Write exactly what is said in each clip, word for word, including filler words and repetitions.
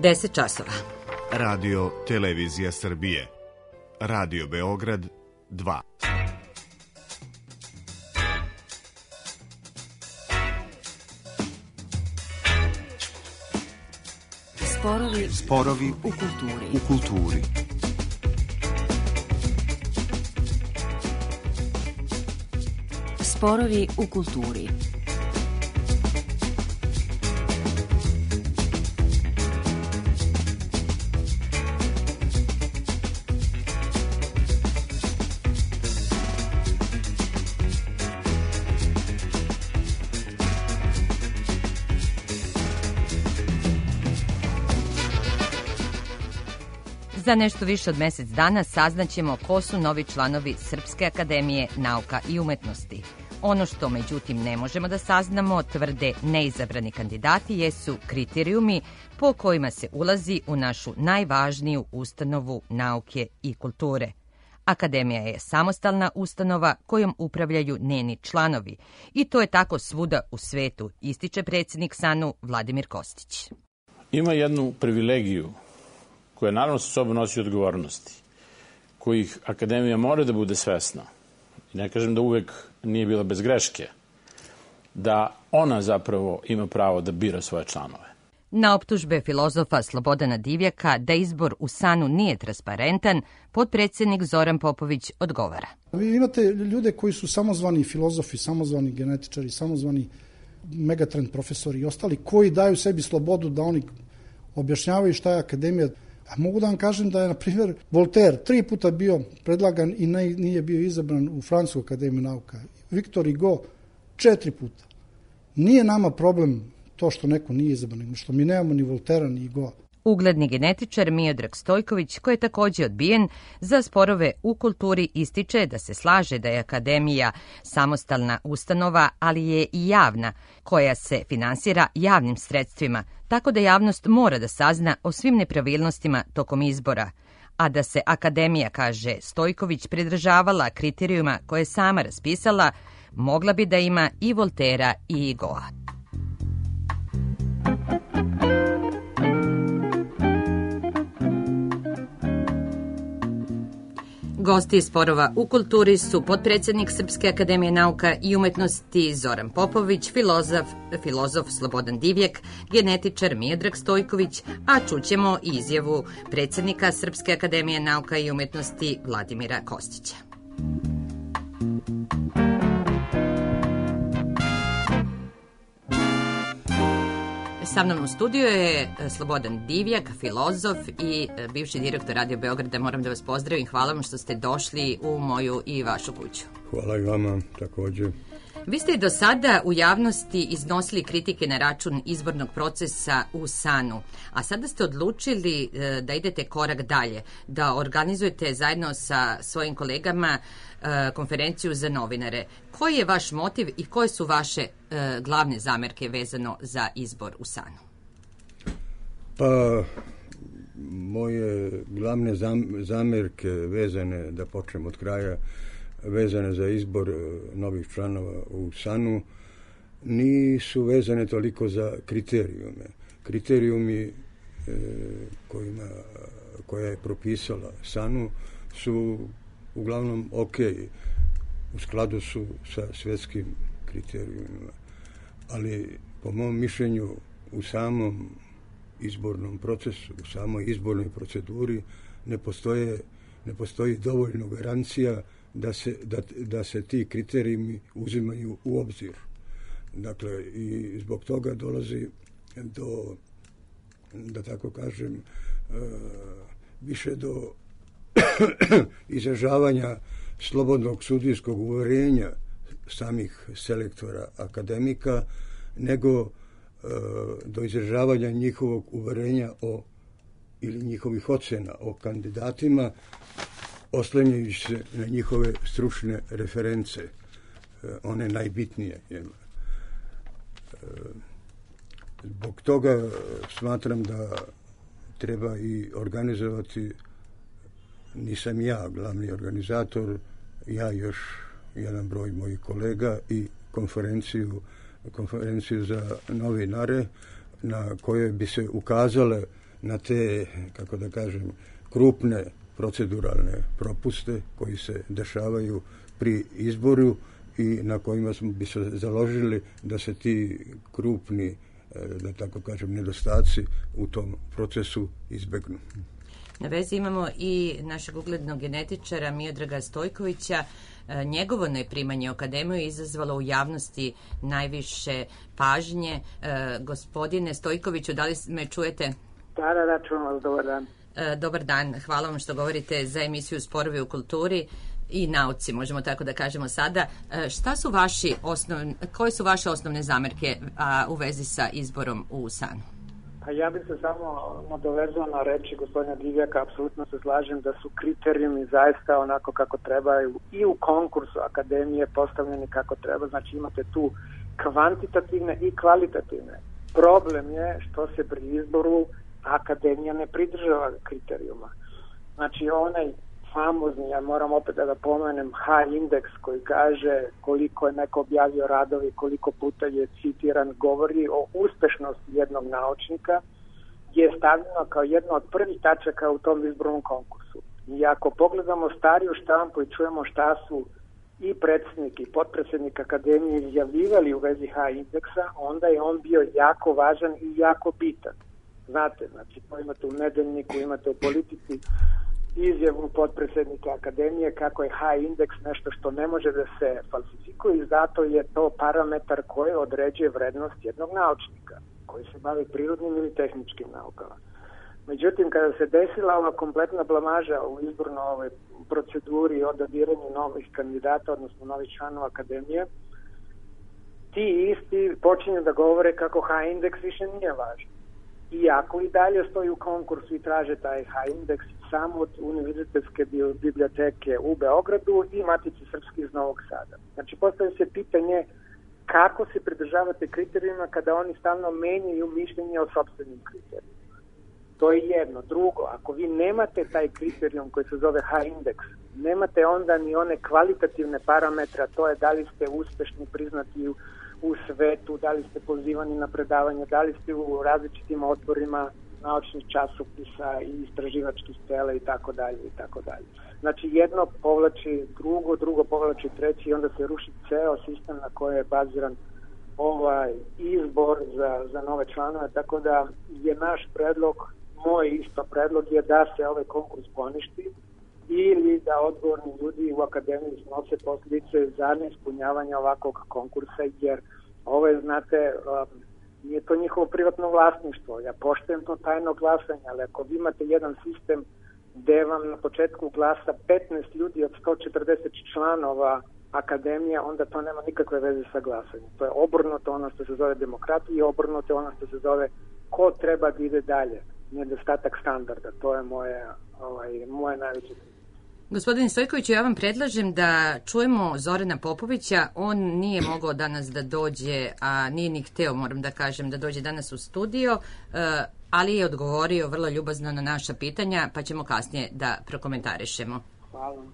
deset časova. Radio Televizija Srbije. Radio Beograd dva. Sporovi, Sporovi u kulturi. U kulturi. Sporovi u kulturi. Za nešto više od mjesec dana saznaćemo ko su novi članovi Srpske akademije nauka i umetnosti. Ono što međutim ne možemo da saznamo, tvrde neizabrani kandidati, jesu kriterijumi po kojima se ulazi u našu najvažniju ustanovu nauke i kulture. Akademija je samostalna ustanova kojom upravljaju njeni članovi i to je tako svuda u svetu, ističe predsjednik SANU Vladimir Kostić. Ima jednu privilegiju koja naravno sa sobom nosi odgovornosti, kojih akademija mora da bude svesna. I ne kažem da uvek nije bila bez greške, da ona zapravo ima pravo da bira svoje članove. Na optužbe filozofa Slobodana Divjaka da izbor u SANU nije transparentan, potpredsjednik Zoran Popović odgovara. Vi imate ljude koji su samozvani filozofi, samozvani genetičari, samozvani megatrend profesori i ostali koji daju sebi slobodu da oni objašnjavaju šta je akademija. A mogu da vam kažem da je, na primjer, Voltaire tri puta bio predlagan i ne, nije bio izabran u Francusku akademiju nauka. Victor Hugo četiri puta. Nije nama problem to što neko nije izabran, nego što mi nemamo ni Voltairea ni Hugoa. Ugledni genetičar Miodrag Stojković, koji je također odbijen za sporove u kulturi, ističe da se slaže da je akademija samostalna ustanova, ali je i javna, koja se finansira javnim sredstvima, tako da javnost mora da sazna o svim nepravilnostima tokom izbora. A da se akademija, kaže Stojković, pridržavala kriterijuma koje je sama raspisala, mogla bi da ima i Voltairea i Hugoa. Gosti sporova u kulturi su potpredsjednik Srpske akademije nauka i umetnosti Zoran Popović, filozof, filozof Slobodan Divjak, genetičar Miodrag Stojković, a čućemo i izjavu predsjednika Srpske akademije nauka i umetnosti Vladimira Kostića. Sa mnom u studiju je Slobodan Divjak, filozof i bivši direktor Radio Beograda. Moram da vas pozdravim. Hvala vam što ste došli u moju i vašu kuću. Hvala i vama također. Vi ste i do sada u javnosti iznosili kritike na račun izbornog procesa u SANU, a sada ste odlučili da idete korak dalje, da organizujete zajedno sa svojim kolegama konferenciju za novinare. Koji je vaš motiv i koje su vaše glavne zamerke vezano za izbor u SANU? Pa, moje glavne zamerke vezane, da počnem od kraja, vezane za izbor novih članova u SANU, nisu vezane toliko za kriterijume. Kriterijumi e, kojima, koja je propisala SANU su uglavnom ok, u skladu su sa svjetskim kriterijumima. Ali po mom mišljenju u samom izbornom procesu, u samoj izbornoj proceduri ne postoje, ne postoji dovoljno garancija da se, da, da se ti kriterijumi uzimaju u obzir. Dakle, i zbog toga dolazi do, da tako kažem, uh, više do izražavanja slobodnog sudijskog uverenja samih selektora akademika, nego uh, do izražavanja njihovog uverenja o, ili njihovih ocena o kandidatima, oslanjajući se na njihove stručne reference, one najbitnije. Zbog toga smatram da treba i organizovati, nisam ja glavni organizator, ja još jedan broj mojih kolega i konferenciju, konferenciju za novinare na kojoj bi se ukazale na te, kako da kažem, krupne proceduralne propuste koji se dešavaju pri izboru i na kojima smo bi se založili da se ti krupni, da tako kažem, nedostaci u tom procesu izbegnu. Na vezi imamo i našeg uglednog genetičara Miodraga Stojkovića. Njegovo neprimanje u akademiju je izazvalo u javnosti najviše pažnje. Gospodine Stojkoviću, da li me čujete? Da, da, da, čujem vas, dobar dan. Dobar dan, hvala vam što govorite za emisiju Sporovi u kulturi i nauci, možemo tako da kažemo sada. Šta su vaši osnovne, koje su vaše osnovne zamerke a, u vezi sa izborom u S A N U? Pa ja bih se samo nadovezao na reči gospodina Divjaka, apsolutno se slažem da su kriterijumi zaista onako kako trebaju i u konkursu akademije postavljeni kako treba, znači imate tu kvantitativne i kvalitativne. Problem je što se pri izboru akademija ne pridržava kriterijuma. Znači onaj famozni, ja moram opet da ga pomenem, H-indeks koji kaže koliko je neko objavio radovi, koliko puta je citiran, govori o uspešnosti jednog naučnika, je stavljeno kao jedno od prvih tačaka u tom izbornom konkursu. I ako pogledamo stariju štampu i čujemo šta su i predsjednik i potpredsjednik akademije izjavljivali u vezi H-indeksa, onda je on bio jako važan i jako bitan. Znate, znači, imate u Nedeljniku, imate u Politici izjavu potpredsjednika akademije kako je H-indeks nešto što ne može da se falsifikuje i zato je to parametar koji određuje vrednost jednog naučnika koji se bavi prirodnim ili tehničkim naukama. Međutim, kada se desila ova kompletna blamaža u izbornoj ovoj proceduri i odabiranju novih kandidata, odnosno novih članova akademije, ti isti počinju da govore kako H-indeks više nije važan. Iako i dalje stoji u konkursu i traže taj H-indeks samo od Univerzitetske biblioteke u Beogradu i Matice srpske iz Novog Sada. Znači, postavlja se pitanje kako se pridržavate kriterijima kada oni stalno menjaju mišljenje o sopstvenim kriterijima. To je jedno. Drugo, ako vi nemate taj kriterijum koji se zove H-indeks, nemate onda ni one kvalitativne parametre, to je da li ste uspešni, priznati u u svetu, da li ste pozivani na predavanje, da li ste u različitim odborima naučnih časopisa i istraživačkih tela i tako dalje i tako dalje. Znači jedno povlači drugo, drugo povlači treći i onda se ruši ceo sistem na koje je baziran ovaj izbor za, za nove članove, tako da je naš predlog, moj isto predlog je da se ovaj konkurs poništi ili da odgovorni ljudi u akademiji snose posljedice za neispunjavanje ovakvog konkursa, jer ovo je, znate, um, nije to njihovo privatno vlasništvo. Ja poštujem to tajno glasanje, ali ako vi imate jedan sistem gde vam na početku glasa petnaest ljudi od sto četrdeset članova akademije, onda to nema nikakve veze sa glasanjem. To je obrnuto ono što se zove demokratija i obrnuto ono što se zove ko treba da ide dalje. Nedostatak standarda. To je moje, ovaj, moje najveće. Gospodine Stojkoviću, ja vam predlažem da čujemo Zorana Popovića. On nije mogao danas da dođe, a nije ni hteo, moram da kažem, da dođe danas u studio, ali je odgovorio vrlo ljubazno na naša pitanja, pa ćemo kasnije da prokomentarišemo. Hvala.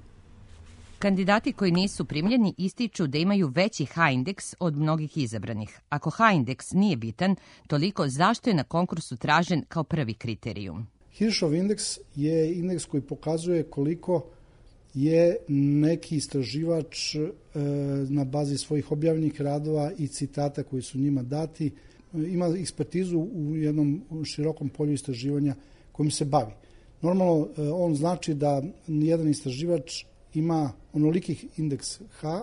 Kandidati koji nisu primljeni ističu da imaju veći H-indeks od mnogih izabranih. Ako H-indeks nije bitan, toliko zašto je na konkursu tražen kao prvi kriterijum? Hirschov indeks je indeks koji pokazuje koliko je neki istraživač e, na bazi svojih objavljenih radova i citata koji su njima dati, ima ekspertizu u jednom širokom polju istraživanja kojim se bavi. Normalno, e, on znači da jedan istraživač ima onolikih indeks H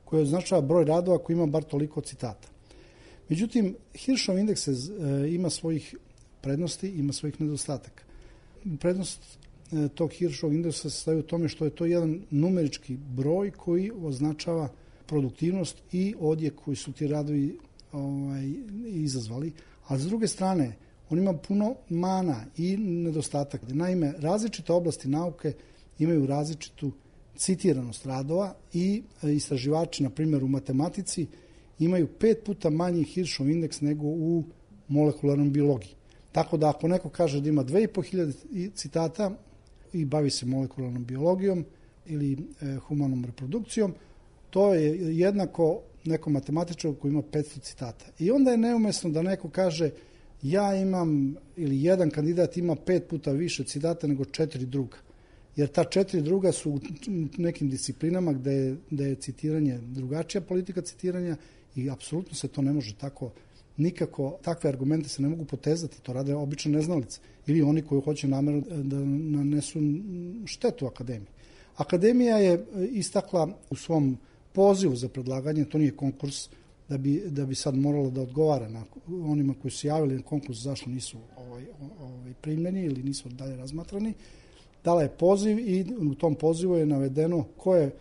koji označava broj radova koji ima bar toliko citata. Međutim, Hirschov indeks e, ima svojih prednosti, ima svojih nedostataka. Prednost e, tog Hirschovog indeksa se sastoji u tome što je to jedan numerički broj koji označava produktivnost i odjek koji su ti radovi ovaj, izazvali. A s druge strane, on ima puno mana i nedostataka. Naime, različite oblasti nauke imaju različitu citiranost radova i istraživači, na primjer u matematici, imaju pet puta manji Hirschov indeks nego u molekularnom biologiji. Tako da ako neko kaže da ima dve i po hiljade citata i bavi se molekularnom biologijom ili e, humanom reprodukcijom, to je jednako nekom matematičaru koji ima petsto citata. I onda je neumesno da neko kaže ja imam, ili jedan kandidat ima pet puta više citata nego četiri druga. Jer ta četiri druga su u nekim disciplinama gde je, gde je citiranje drugačija politika citiranja i apsolutno se to ne može tako, nikako, takve argumente se ne mogu potezati, to rade obične neznalice ili oni koji hoće namerno da nanesu štetu akademiji. Akademija je istakla u svom pozivu za predlaganje, to nije konkurs, da bi, da bi sad morala da odgovara na onima koji su javili na konkurs zašto nisu ovaj, ovaj, primljeni ili nisu dalje razmatrani. Dala je poziv i u tom pozivu je navedeno ko je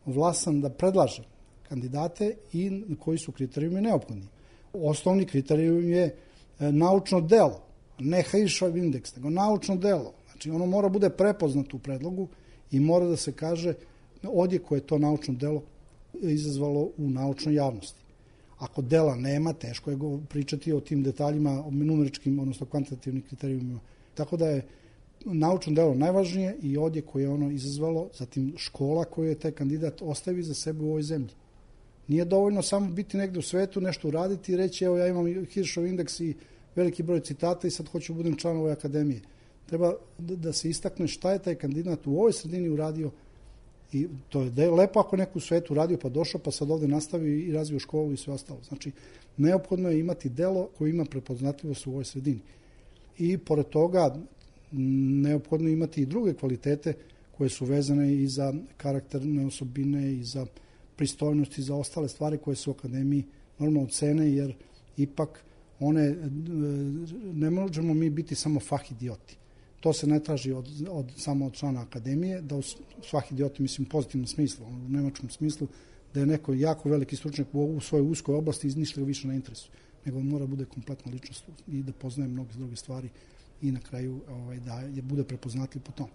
vlasan da predlaže kandidate i koji su kriterijumi neophodni. Osnovni kriterijum je naučno delo, ne Hirschov indeks, nego naučno delo. Znači ono mora bude prepoznato u predlogu i mora da se kaže odje koje je to naučno delo izazvalo u naučnoj javnosti. Ako dela nema, teško je pričati o tim detaljima, o numeričkim, odnosno kvantitativnim kriterijumima. Tako da je naučno delo najvažnije i odje koje je ono izazvalo, zatim škola koju je taj kandidat ostavi za sebe u ovoj zemlji. Nije dovoljno samo biti negde u svetu, nešto uraditi i reći evo ja imam Hirschov indeks i veliki broj citata i sad hoću budem član ove akademije. Treba da se istakne šta je taj kandidat u ovoj sredini uradio i to je lepo ako neko u svetu uradio pa došao pa sad ovde nastavi i razvio školu i sve ostalo. Znači, neophodno je imati delo koje ima prepoznatljivost u ovoj sredini. I pored toga neophodno je imati i druge kvalitete koje su vezane i za karakterne osobine i za pristojnost i za ostale stvari koje su u akademiji normalno cene, jer ipak one, ne možemo mi biti samo fah idioti. To se ne traži od, od, samo od člana akademije, da u svah idioti, mislim, u pozitivnom smislu, u nemačkom smislu, da je neko jako veliki stručnjak u, u svojoj uskoj oblasti i ništa ga više na interesu, nego mora bude kompletna ličnost i da poznaje mnoge druge stvari i na kraju ovaj, da je bude prepoznatljiv po tom.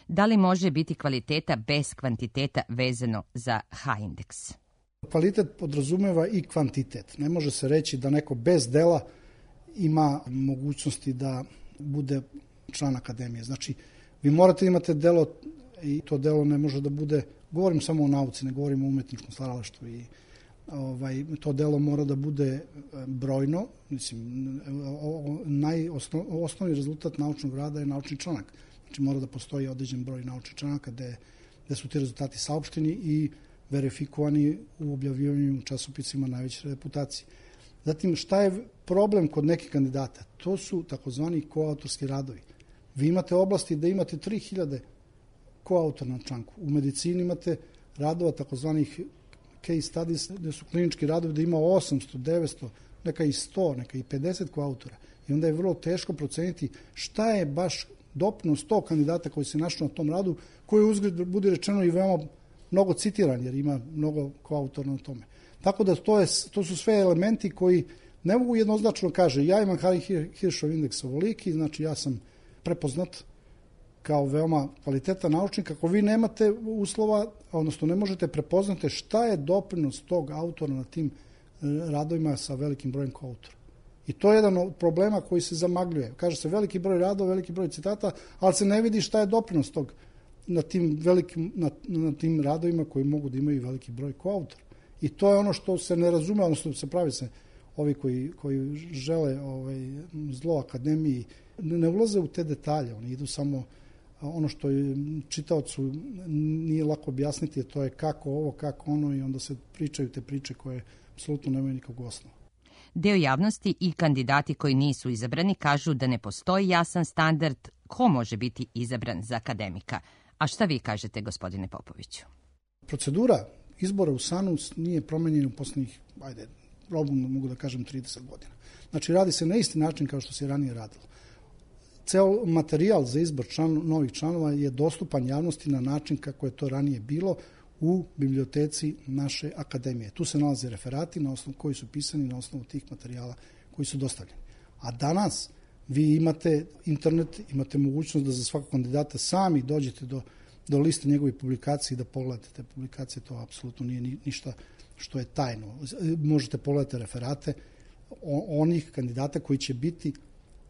Da li može biti kvaliteta bez kvantiteta vezano za H-indeks? Kvalitet podrazumeva i kvantitet. Ne može se reći da neko bez dela ima mogućnosti da bude član akademije. Znači, vi morate imate delo i to delo ne može da bude, govorim samo o nauci, ne govorim o umetničkom stvaralaštvu i ovaj, to delo mora da bude brojno. Mislim, najosnov, osnovni rezultat naučnog rada je naučni članak. Znači, mora da postoji određen broj naučnih članaka gde, gde su ti rezultati saopšteni i verifikovani u objavljivanju u časopisima najveće reputacije. Zatim, šta je problem kod nekih kandidata? To su takozvani koautorski radovi. Vi imate oblasti da imate tri hiljade koautora na članku. U medicini imate radova takozvanih case studies, gde su klinički radovi da ima osamsto, devetsto, neka i sto, neka i pedeset koautora. I onda je vrlo teško proceniti šta je baš doprinos tog kandidata koji se našao na tom radu, koji uzgled bude rečeno i veoma mnogo citiran, jer ima mnogo koautora na tome. Tako da to, je, to su sve elementi koji ne mogu jednoznačno kaže ja imam Hirschov indeks ovoliki, znači ja sam prepoznat kao veoma kvalitetan naučnik. Ako vi nemate uslova, odnosno ne možete prepoznati šta je doprinos tog autora na tim radovima sa velikim brojem koautora. I to je jedan od problema koji se zamagljuje. Kaže se veliki broj radova, veliki broj citata, ali se ne vidi šta je doprinos tog na tim, velikim, na, na tim radovima koji mogu da imaju veliki broj koautora. I to je ono što se ne razume, odnosno se pravi se ovi koji, koji žele ovaj, zlo akademiji, ne ulaze u te detalje, oni idu samo ono što je čitaocu nije lako objasniti, to je kako ovo, kako ono i onda se pričaju te priče koje apsolutno nemaju nikakvog osnova. Deo javnosti i kandidati koji nisu izabrani kažu da ne postoji jasan standard ko može biti izabran za akademika. A šta vi kažete, gospodine Popoviću? Procedura izbora u SANU nije promenjena u poslednjih, ajde, probno mogu da kažem trideset godina. Znači, radi se na isti način kao što se ranije radilo. Ceo materijal za izbor član, novih članova je dostupan javnosti na način kako je to ranije bilo u biblioteci naše akademije. Tu se nalaze referati na osnovu koji su pisani na osnovu tih materijala koji su dostavljeni. A danas vi imate internet, imate mogućnost da za svakog kandidata sami dođete do, do liste njegovih publikacija i da pogledate te publikacije. To apsolutno nije ni, ništa što je tajno. Možete pogledati referate onih kandidata koji će biti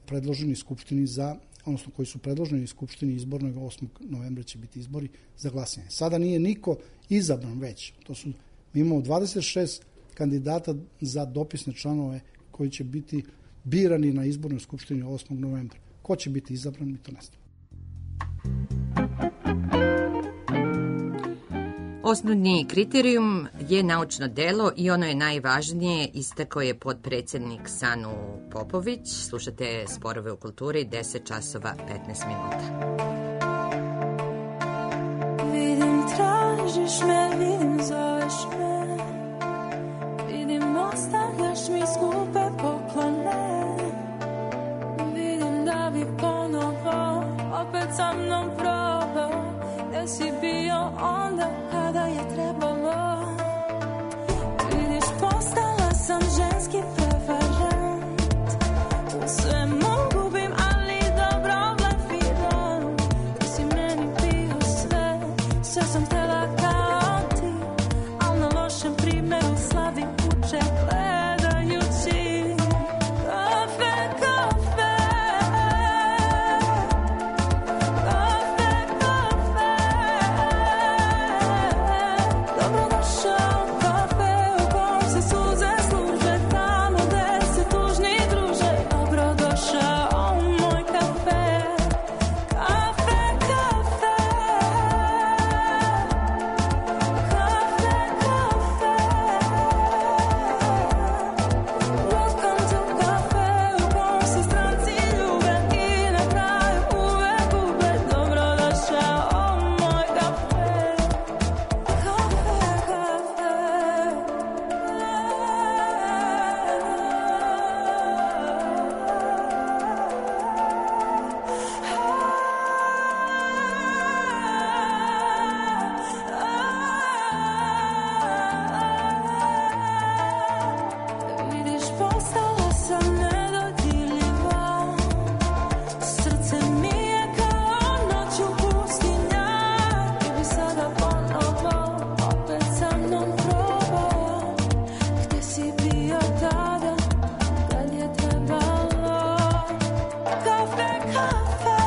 predloženi Skupštini za, odnosno koji su predloženi Skupštini izbornog, osmog novembra će biti izbori za glasanje. Sada nije niko izabran već. To su, mi imamo dvadeset šest kandidata za dopisne članove koji će biti birani na izbornoj skupštini osmog novembra. Ko će biti izabran, mi to ne znamo. Osnovni kriterijum je naučno delo i ono je najvažnije, istakao je potpredsjednik Sanu Popović. Slušate Sporove u kulturi, deset časova petnaest minuta. Vidim, tražiš me, vidim, zoveš me, vidim, ostavljaš mi skupe poklone, vidim da bi ponovo opet sa mnom probao, gde si bio onda kada je trebalo. Vidiš, postala sam ženski preferent, u svemu gubim, ali dobro blefiram. Ti si meni bio sve, sve sam htjela kao ti, al na lošem primjeru sladim kuće gledajući. Kafe, kafe, kafe, kafe, dobrodošao u kafe u kom se suze služe, tamo gde se tužni druže. Dobrodošao u moj kafe, kafe, kafe, kafe, kafe. Welcome to kafe u kom se stranci ljube i na kraju uvek gube. Dobrodošao u moj kafe, kafe, kafe. Vidiš, postala sam nedodirljiva, srce mi je kao noć u pustinja. Ti bi sada ponovo opet sa mnom probao, gde si bio tada kad je trebalo. Kafe, kafe,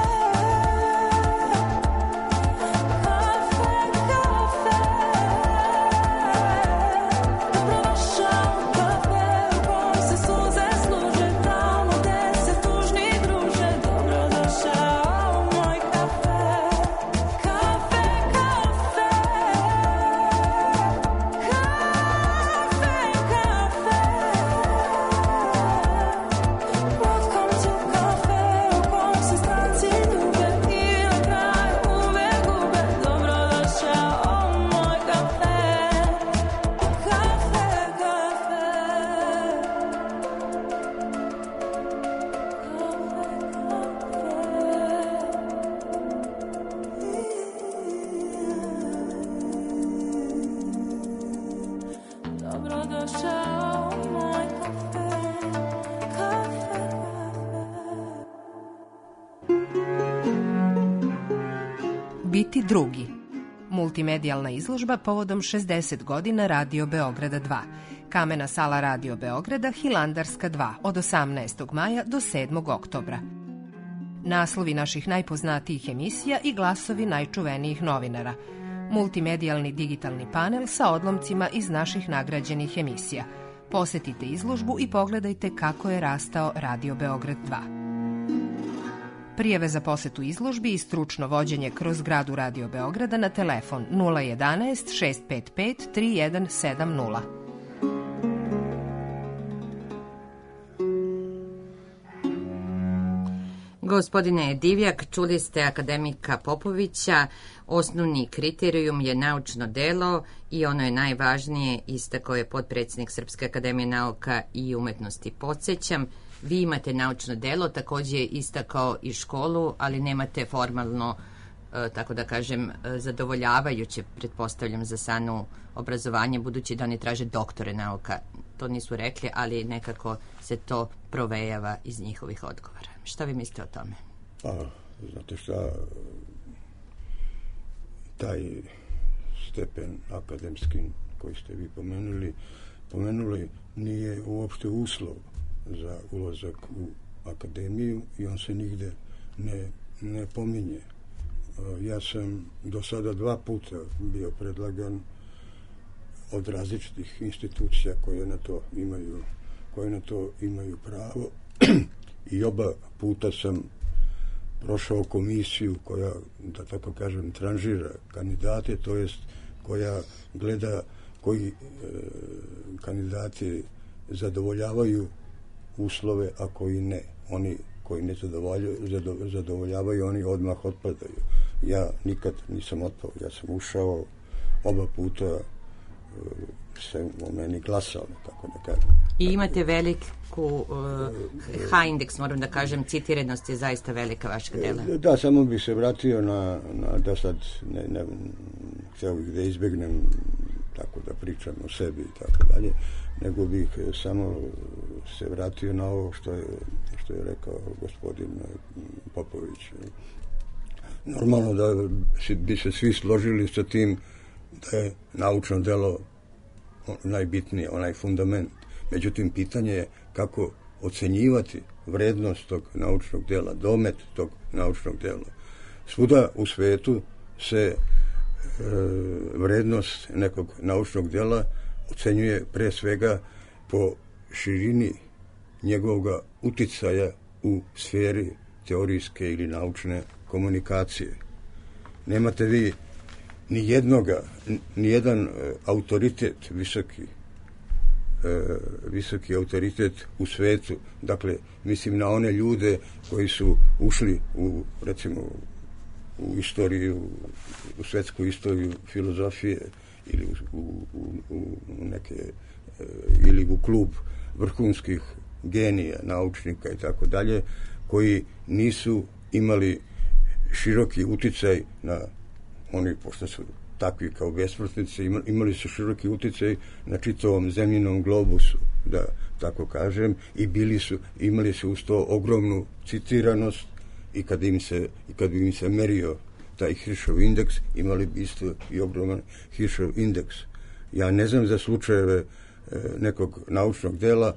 kafe, kafe. Dobrodošao u kafe u kom se suze služe, tamo gde se tužni druže. Dobrodošao u moj kafe, kafe, kafe, kafe, kafe. Welcome to kafe u kom se stranci ljube i na kraju uvek gube. Dobrodošao u moj kafe, kafe, kafe. Dobrodošao u moj kafe, kafe, kafe. Biti drugi. Multimedijalna izložba povodom šezdeset godina Radio Beograda dva. Kamena sala Radio Beograda, Hilandarska dva, od osamnaestog maja do sedmog oktobra. Naslovi naših najpoznatijih emisija i glasovi najčuvenijih novinara. Multimedijalni digitalni panel sa odlomcima iz naših nagrađenih emisija. Posetite izložbu i pogledajte kako je rastao Radio Beograd dva. Prijave za posetu izložbi i stručno vođenje kroz zgradu Radio Beograda na telefon nula jedanaest šest pet pet tri jedan sedam nula. Gospodine Divjak, čuli ste akademika Popovića, osnovni kriterijum je naučno delo i ono je najvažnije, istakao je potpredsjednik Srpske akademije nauka i umetnosti. Podsjećam, vi imate naučno delo, također je istakao i školu, ali nemate formalno, tako da kažem, zadovoljavajuće, pretpostavljam, za Sanu obrazovanje, budući da oni traže doktore nauka. To nisu rekli, ali nekako se to provejava iz njihovih odgovora. Šta vi mislite o tome? Pa, znate šta, taj stepen akademski koji ste vi pomenuli, pomenuli nije uopšte uslov za ulazak u akademiju i on se nigde ne, ne pominje. Ja sam do sada dva puta bio predlagan od različitih institucija koje na to imaju, koje na to imaju pravo i oba puta sam prošao komisiju koja, da tako kažem, tranžira kandidate, to jest koja gleda koji e, kandidati zadovoljavaju uslove, a koji ne. Oni koji ne zadovoljavaju, zadovoljavaju, oni odmah otpadaju. Ja nikad nisam otpao, ja sam ušao oba puta, e, se o meni glasao, tako da kažem. I imate veliku uh, H-indeks, moram da kažem, citiranost je zaista velika vašeg dela. Da, samo bih se vratio na, na da sad ne, ne, htio bih da izbjegnem tako da pričam o sebi i tako dalje, nego bih samo se vratio na ovo što je, što je rekao gospodin Popović. Normalno da bi se svi složili sa tim da je naučno delo najbitnije, onaj fundament. Međutim, pitanje je kako ocenjivati vrednost tog naučnog dela, domet tog naučnog dela. Svuda u svetu se e, vrednost nekog naučnog dela ocenjuje pre svega po širini njegovog uticaja u sferi teorijske ili naučne komunikacije. Nemate vi ni jednoga, ni jedan autoritet visoki, e, visoki autoritet u svetu, dakle, mislim na one ljude koji su ušli u, recimo, u istoriju, u svetsku istoriju filozofije ili u, u, u neke, e, ili u klub vrhunskih genija, naučnika i tako dalje, koji nisu imali široki uticaj na oni, pošto su takvi kao besmrtnici, imali su široki uticaj na čitavom zemljinom globusu, da tako kažem, i bili su, imali su uz to ogromnu citiranost i kad im se, i kad bi im se merio taj Hirschov indeks, imali bi isto i ogroman Hirschov indeks. Ja ne znam za slučajeve e, nekog naučnog dela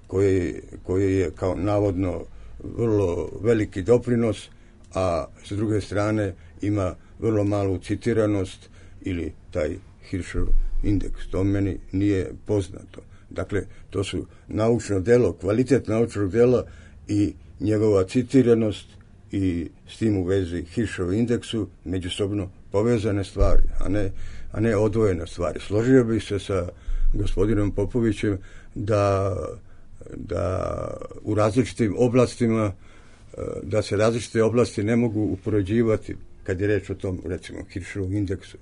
koje, koje je kao navodno vrlo veliki doprinos, a s druge strane ima vrlo malu citiranost ili taj Hirschov indeks. To meni nije poznato. Dakle, to su naučno delo, kvalitet naučnog dela i njegova citiranost i s tim u vezi Hirschov indeksu međusobno povezane stvari, a ne, a ne odvojene stvari. Složio bih se sa gospodinom Popovićem da, da u različitim oblastima, da se različite oblasti ne mogu upoređivati kad je reč o tom, recimo, Hirschovom indeksu.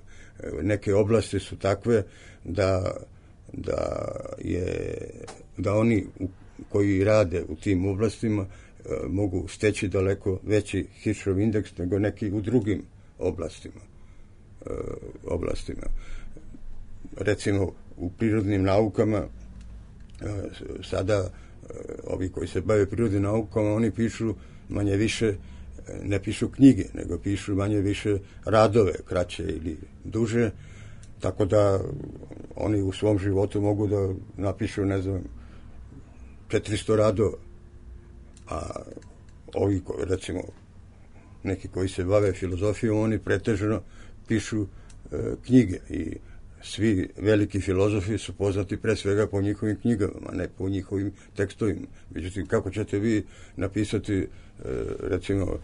Neke oblasti su takve da, da, je, da oni u, koji rade u tim oblastima mogu steći daleko veći Hirschov indeks nego neki u drugim oblastima. oblastima. Recimo, u prirodnim naukama sada ovi koji se bave prirodnim naukama, oni pišu manje više, ne pišu knjige, nego pišu manje više radove, kraće ili duže, tako da oni u svom životu mogu da napišu, ne znam, četiristo radova. A ovi, recimo, neki koji se bave filozofijom, oni pretežno pišu e, knjige i svi veliki filozofi su poznati pre svega po njihovim knjigama, a ne po njihovim tekstovima. Međutim, kako ćete vi napisati, e, recimo,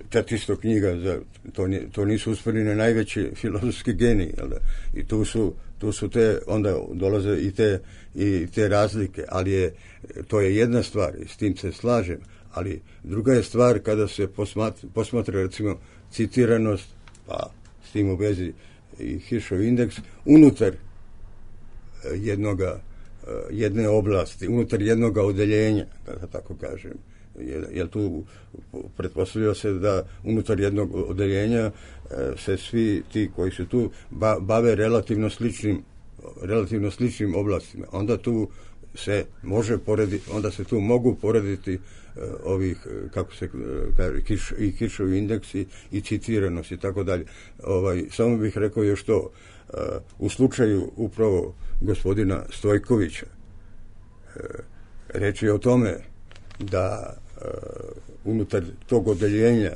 četiristo knjiga, za, to, nije, to nisu usporeni najveći filozofski geniji, jel da? I tu su, tu su te, onda dolaze i te, i te razlike, ali je, to je jedna stvar, i s tim se slažem, ali druga je stvar kada se posmatra, posmatra recimo, citiranost, pa s tim u vezi i Hirschov indeks, unutar jednoga, jedne oblasti, unutar jednoga odeljenja, da tako kažem. Jer tu pretpostavlja se da unutar jednog odeljenja se svi ti koji su tu bave relativno sličnim, relativno sličnim oblastima. Onda tu se može porediti, onda se tu mogu porediti ovih, kako se kaže, i Hirschov indeksi i citiranost i tako dalje. Ovaj, samo bih rekao još to, u slučaju upravo gospodina Stojkovića, reč je o tome da unutar tog odeljenja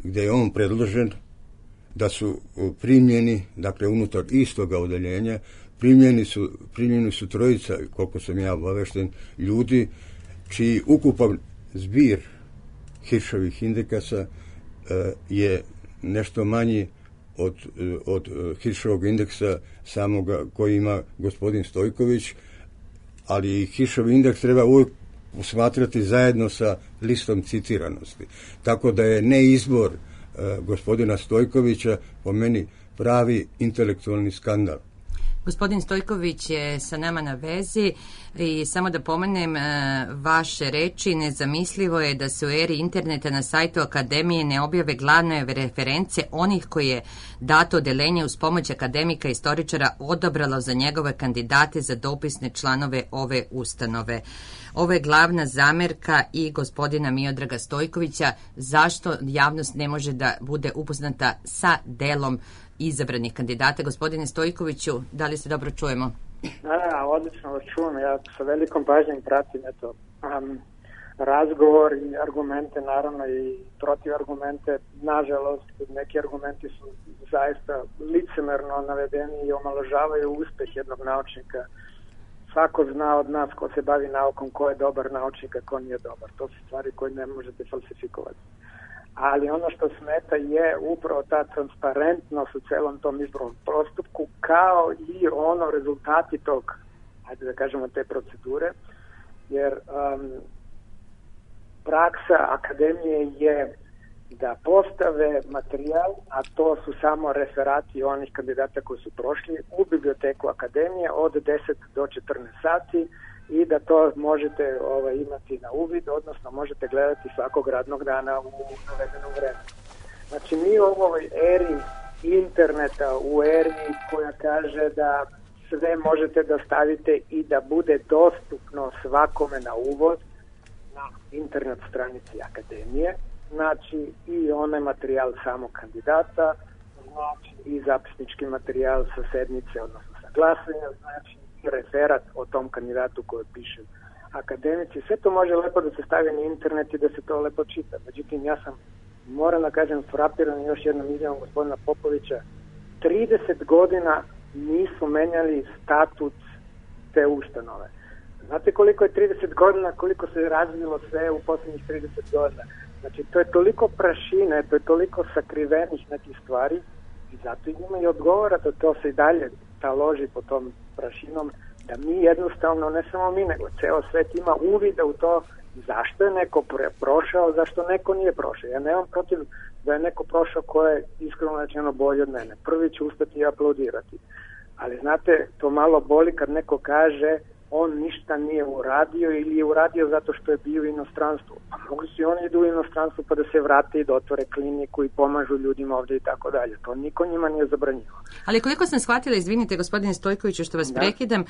gdje je on predložen, da su primljeni, dakle unutar istoga odeljenja, primljeni su, primljeni su trojica, koliko sam ja obavešten, ljudi čiji ukupan zbir Hiršovih indekasa je nešto manji od, od Hiršovog indeksa samoga koji ima gospodin Stojković, ali Hiršov indeks treba uvijek usmatrati zajedno sa listom citiranosti. Tako da je neizbor gospodina Stojkovića po meni pravi intelektualni skandal. Gospodin Stojković je sa nama na vezi i samo da pomenem vaše reči, nezamislivo je da se u eri interneta na sajtu Akademije ne objave glavne reference onih koji je dato odelenje uz pomoć akademika i istoričara odabralo za njegove kandidate za dopisne članove ove ustanove. Ovo je glavna zamerka i gospodina Miodraga Stojkovića. Zašto javnost ne može da bude upoznata sa delom izabranih kandidata? Gospodine Stojkoviću, da li se dobro čujemo? Da, da, odlično vas čujem. Ja sa velikom pažnjom pratim eto, um, razgovor i argumente, naravno i protivargumente. Nažalost, neki argumenti su zaista licemerno navedeni i omaložavaju uspeh jednog naučnika. Svako zna od nas ko se bavi naukom, ko je dobar naučnik, a ko nije dobar. To su stvari koje ne možete falsifikovati. Ali ono što smeta je upravo ta transparentnost u celom tom izbornom postupku, kao i ono rezultati tog, hajde da kažemo, te procedure, jer um, praksa akademije je da postave materijal, a to su samo referati onih kandidata koji su prošli u biblioteku akademije od deset do četrnaest sati i da to možete ovaj, imati na uvid, odnosno možete gledati svakog radnog dana u navedenom vremenu. Znači mi u ovoj eri interneta, u eri koja kaže da sve možete da stavite i da bude dostupno svakome na uvod na internet stranici akademije, znači i onaj materijal samog kandidata, znači i zapisnički materijal sa sednice, odnosno sa glasanja, znači i referat o tom kandidatu koji piše akademici. Sve to može lepo da se stavi na internet i da se to lepo čita. Međutim, ja sam, moram da kažem, frapiran još jednom izjavom gospodina Popovića. trideset godina nisu menjali statut te ustanove. Znate koliko je trideset godina, koliko se razvilo sve u posljednjih trideset godina? Znači, to je toliko prašine, to je toliko sakrivenih nekih stvari i zato i njima i odgovara da to se i dalje taloži po tom prašinom, da mi jednostavno, ne samo mi, nego ceo svet ima uvida u to zašto je neko prošao, zašto neko nije prošao. Ja nemam protiv da je neko prošao ko je iskreno rečeno bolje od mene. Prvi ću ustati i aplaudirati. Ali znate, to malo boli kad neko kaže on ništa nije uradio ili je uradio zato što je bio u inostranstvu. Pa mogu si oni idu u inostranstvu pa da se vrate i da otvore kliniku i pomažu ljudima ovdje i tako dalje. To niko njima nije zabranjivo. Ali koliko sam shvatila, izvinite gospodine Stojkoviću što vas da. prekidam,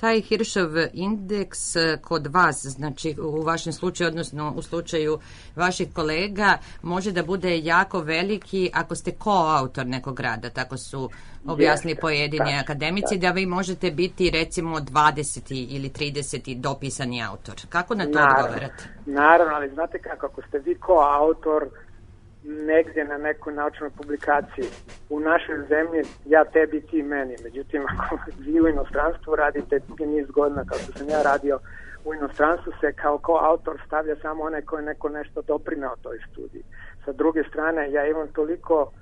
taj Hiršov indeks kod vas, znači u vašem slučaju, odnosno u slučaju vaših kolega, može da bude jako veliki ako ste koautor nekog rada, tako su objasnili pojedini da, akademici, da. da vi možete biti recimo dvadeseti ili trideseti dopisani autor. Kako na to naravno, odgovarate? Naravno, ali znate kako, ako ste vi koautor negdje na nekoj naučnoj publikaciji u našoj zemlji, ja tebi, ti meni. Međutim, ako vi u inostranstvu radite dugi niz godina, kao što sam ja radio u inostranstvu, se kao koautor stavlja samo onaj koji je neko nešto doprinao toj studiji. Sa druge strane, ja imam toliko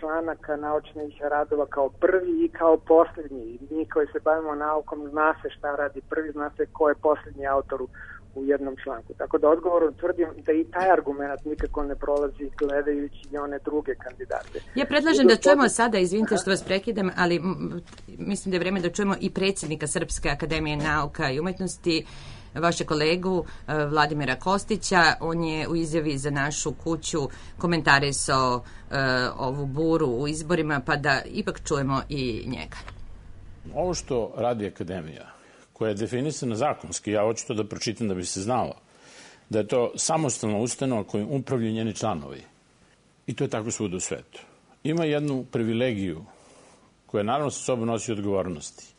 članaka naučnih radova kao prvi i kao posljednji. Mi koji se bavimo naukom zna se šta radi prvi, zna se ko je posljednji autor u jednom članku. Tako da odgovorom tvrdim da i taj argument nikako ne prolazi gledajući i one druge kandidate. Ja predlažem da čujemo sada, izvinite što vas prekidam, ali mislim da je vreme da čujemo i predsjednika Srpske akademije nauka i umetnosti, vaše kolegu Vladimira Kostića. On je u izjavi za Našu kuću komentarisao uh, ovu buru u izborima, pa da ipak čujemo i njega. Ovo što radi akademija, koja je definisana zakonski, ja hoću to da pročitam da bi se znalo, da je to samostalna ustanova kojim upravljaju njeni članovi. I to je tako svuda u svetu. Ima jednu privilegiju koja naravno sa sobom nosi odgovornosti,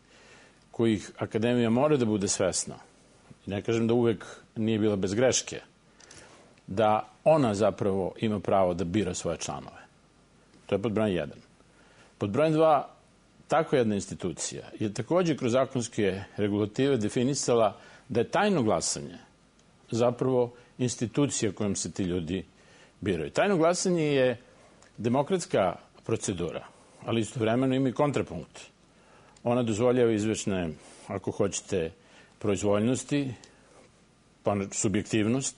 kojih akademija mora da bude svesna. Ne kažem da uvek nije bila bez greške, da ona zapravo ima pravo da bira svoje članove. To je pod brojem jedan. Pod brojem dva, takva jedna institucija je također kroz zakonske regulative definisala da je tajno glasanje zapravo institucija kojom se ti ljudi biraju. Tajno glasanje je demokratska procedura, ali istovremeno ima i kontrapunkt. Ona dozvoljava izvečne, ako hoćete, proizvoljnosti, pa subjektivnost,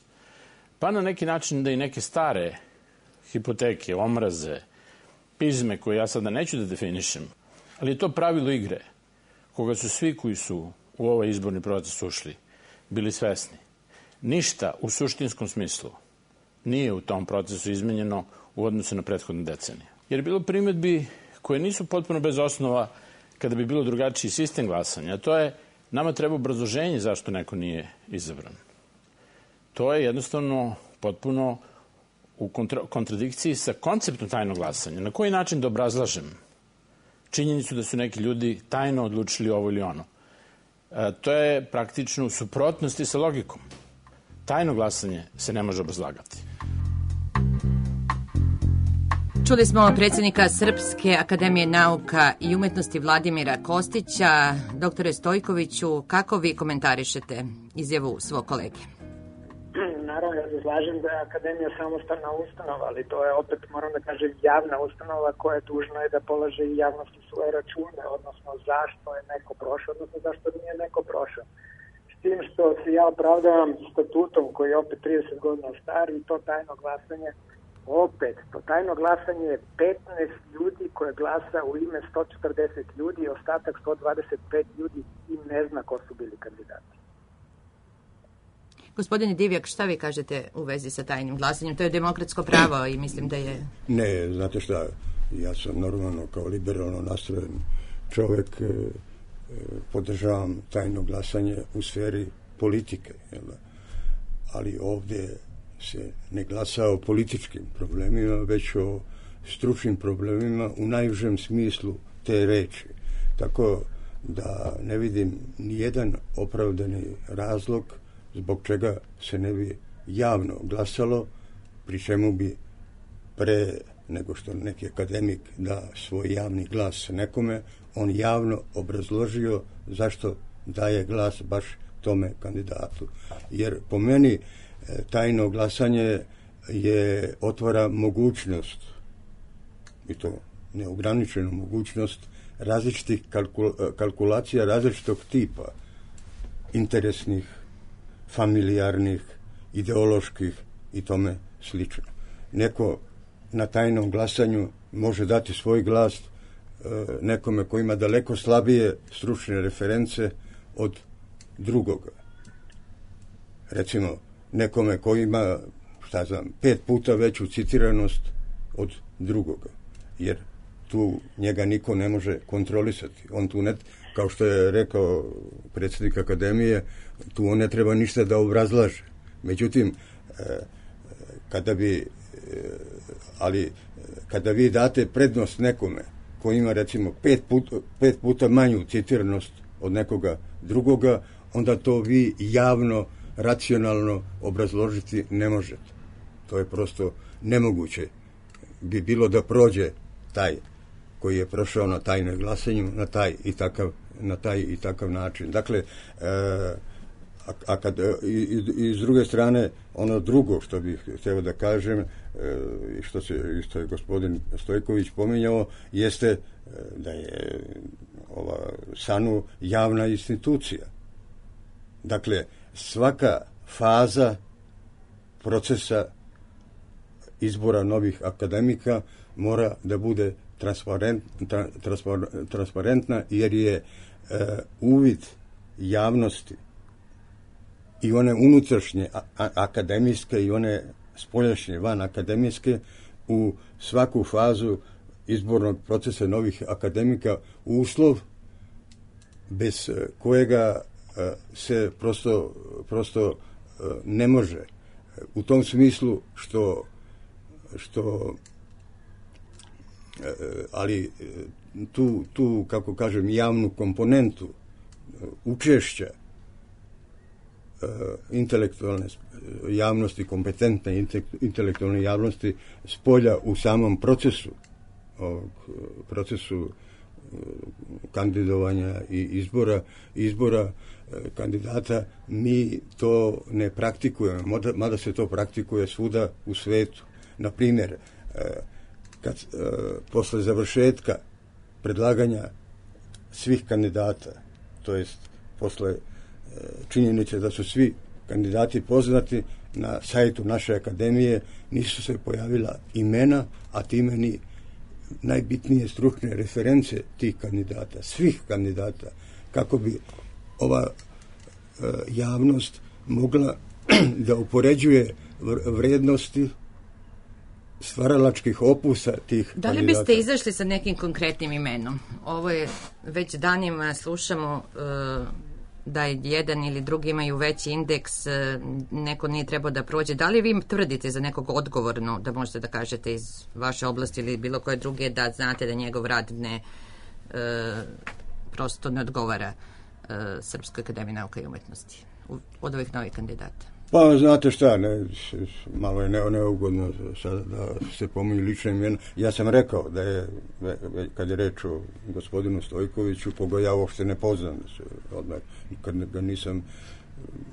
pa na neki način da i neke stare hipoteke, omraze, pizme koje ja sada neću da definišem, ali je to pravilo igre koga su svi koji su u ovaj izborni proces ušli bili svesni. Ništa u suštinskom smislu nije u tom procesu izmenjeno u odnosu na prethodne decenije. Jer je bilo primjedbi koje nisu potpuno bez osnova kada bi bilo drugačiji sistem glasanja. To je, nama treba obrazloženje zašto neko nije izabran. To je jednostavno potpuno u kontra, kontradikciji sa konceptom tajnog glasanja. Na koji način da obrazlažem činjenicu da su neki ljudi tajno odlučili ovo ili ono? E, to je praktično u suprotnosti sa logikom. Tajno glasanje se ne može obrazlagati. Čuli smo predsjednika Srpske akademije nauka i umetnosti Vladimira Kostića. Doktore Stojkoviću, kako vi komentarišete izjavu svog kolege? Naravno, ja se slažem da je Akademija samostalna ustanova, ali to je opet, moram da kažem, javna ustanova koja je dužna je da polaže i javnosti svoje račune, odnosno zašto je neko prošao, odnosno zašto nije neko prošao. S tim što se ja opravdavam statutom koji je opet trideset godina star i to tajno glasanje, opet, to tajno glasanje je petnaest ljudi koje glasa u ime sto četrdeset ljudi, ostatak sto dvadeset pet ljudi i ne zna ko su bili kandidati. Gospodine Divjak, šta vi kažete u vezi sa tajnim glasanjem? To je demokratsko pravo i mislim da je... Ne, znate šta, ja sam normalno kao liberalno nastrojen čovjek, e, podržavam tajno glasanje u sferi politike, jel? Ali ovdje se ne glasa o političkim problemima, već o stručnim problemima u najužem smislu te reči. Tako da ne vidim nijedan opravdani razlog zbog čega se ne bi javno glasalo, pri čemu bi pre nego što neki akademik da svoj javni glas nekome, on javno obrazložio zašto daje glas baš tome kandidatu. Jer po meni tajno glasanje je otvara mogućnost, i to neograničenu mogućnost, različitih kalkul, kalkulacija različitog tipa, interesnih, familijarnih, ideoloških i tome slično. Neko na tajnom glasanju može dati svoj glas e, nekome koji ima daleko slabije stručne reference od drugoga. Recimo, nekome koji ima, šta znam, pet puta veću citiranost od drugoga. Jer tu njega niko ne može kontrolisati. On tu ne, kao što je rekao predsjednik Akademije, tu on ne treba ništa da obrazlaže. Međutim, kada bi, ali kada vi date prednost nekome koji ima recimo pet puta, pet puta manju citiranost od nekoga drugoga, onda to vi javno, racionalno obrazložiti ne možete. To je prosto nemoguće. Bi bilo da prođe taj koji je prošao na tajnom glasanju na taj i takav, na taj i takav način. Dakle, e, a, a kad, i, i, i s druge strane, ono drugo što bih htio da kažem, e, što, se, što je gospodin Stojković pominjao, jeste e, da je ova SANU javna institucija. Dakle, svaka faza procesa izbora novih akademika mora da bude transparent, tra, transparentna, jer je e, uvid javnosti i one unutrašnje a, a, akademijske i one spoljašnje van akademijske u svaku fazu izbornog procesa novih akademika uslov bez kojega e, se prosto, prosto e, ne može. U tom smislu što što ali tu, tu, kako kažem, javnu komponentu učešća intelektualne javnosti, kompetentne intelektualne javnosti spolja u samom procesu ovog procesu kandidovanja i izbora, izbora kandidata, mi to ne praktikujemo, mada, mada se to praktikuje svuda u svetu. Na primjer, kad posle završetka predlaganja svih kandidata, to jest posle činjenice da su svi kandidati poznati, na sajtu naše akademije nisu se pojavila imena, a time ni najbitnije stručne reference tih kandidata, svih kandidata, kako bi ova e, javnost mogla da upoređuje vrednosti stvaralačkih opusa tih da li kandidata. biste izašli sa nekim konkretnim imenom? Ovo je, već danima slušamo uh, da jedan ili drugi imaju veći indeks, uh, neko nije trebao da prođe. Da li vi tvrdite za nekog odgovorno, da možete da kažete iz vaše oblasti ili bilo koje druge, da znate da njegov rad ne uh, prosto ne odgovara uh, Srpskoj akademiji nauka i umetnosti od ovih novih kandidata? Pa, znate šta, ne, malo je ne, neugodno sada da se pominju lične imena. Ja sam rekao da je, kad je reč o gospodinu Stojkoviću, koga ja uopšte ne poznam, odmah, kad ga nisam